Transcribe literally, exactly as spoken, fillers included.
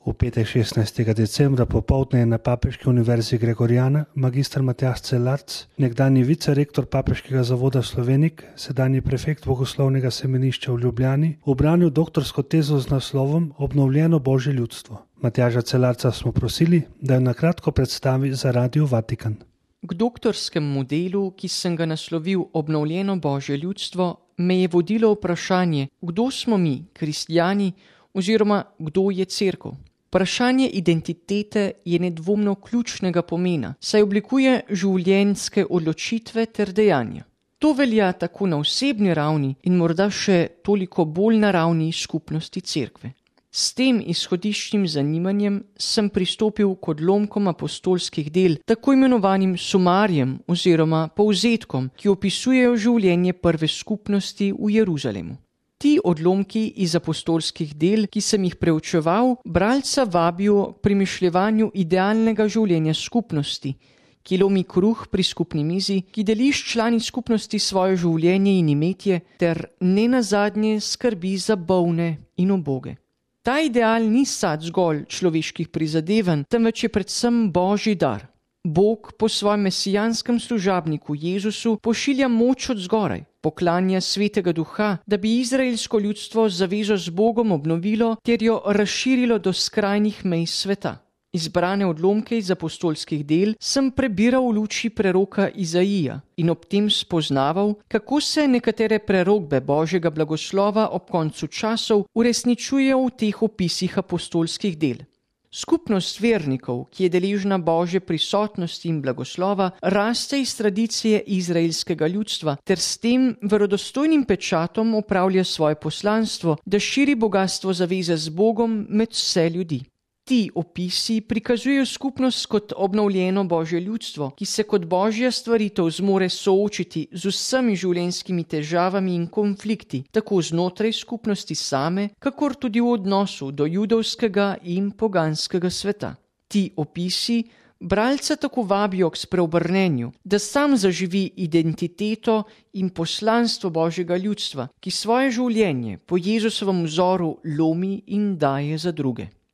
V petek šestnajstega decembra popoldne je na Papeški univerzi Gregoriana magister Matjaž Celarc, nekdanji vicerektor Papeškega zavoda Slovenik, sedanji prefekt Bogoslovnega semenišča v Ljubljani, ubranil doktorsko tezo z naslovom Obnovljeno Božje ljudstvo. Matjaža Celarca smo prosili, da jo na kratko predstavi za Radio Vatikan. K doktorskemu delu, ki sem ga naslovil Obnovljeno Božje ljudstvo, me je vodilo vprašanje, kdo smo mi, kristjani, oziroma kdo je cerkev. Vprašanje identitete je nedvomno ključnega pomena, saj oblikuje življenjske odločitve ter dejanja. To velja tako na osebni ravni in morda še toliko bolj na ravni skupnosti cerkve. S tem izhodiščnim zanimanjem sem pristopil k odlomkom apostolskih del, tako imenovanim sumarjem oziroma povzetkom, ki opisujejo življenje prve skupnosti v Jeruzalemu. Ti odlomki iz apostolskih del, ki sem jih preučeval, bralca vabijo k premišljevanju idealnega življenja skupnosti, ki lomi kruh pri skupni mizi, ki deli s člani skupnosti svoje življenje in imetje, ter nenazadnje skrbi za bolne in uboge. Ta ideal ni sad zgolj človeških prizadevanj, temveč je predvsem Božji dar. Bog po svojem mesijanskem služabniku Jezusu pošilja moč od zgoraj, poklanja svetega duha, da bi izraelsko ljudstvo zavezo z Bogom obnovilo ter jo razširilo do skrajnih mej sveta. Izbrane odlomke iz apostolskih del sem prebiral v luči preroka Izaija in ob tem spoznaval, kako se nekatere prerokbe Božjega blagoslova ob koncu časov uresničujejo v teh opisih apostolskih del. Skupnost vernikov, ki je deležna Božje prisotnosti in blagoslova, raste iz tradicije izraelskega ljudstva ter s tem verodostojnim pečatom opravlja svoje poslanstvo, da širi bogastvo zaveze z Bogom med vse ljudi. Ti opisi prikazujejo skupnost kot obnovljeno Božje ljudstvo, ki se kot Božja stvaritev zmore soočiti z vsemi življenjskimi težavami in konflikti, tako znotraj skupnosti same, kakor tudi v odnosu do judovskega in poganskega sveta. Ti opisi bralca tako vabijo k spreobrnenju, da sam zaživi identiteto in poslanstvo Božjega ljudstva, ki svoje življenje po Jezusovem vzoru lomi in daje za druge.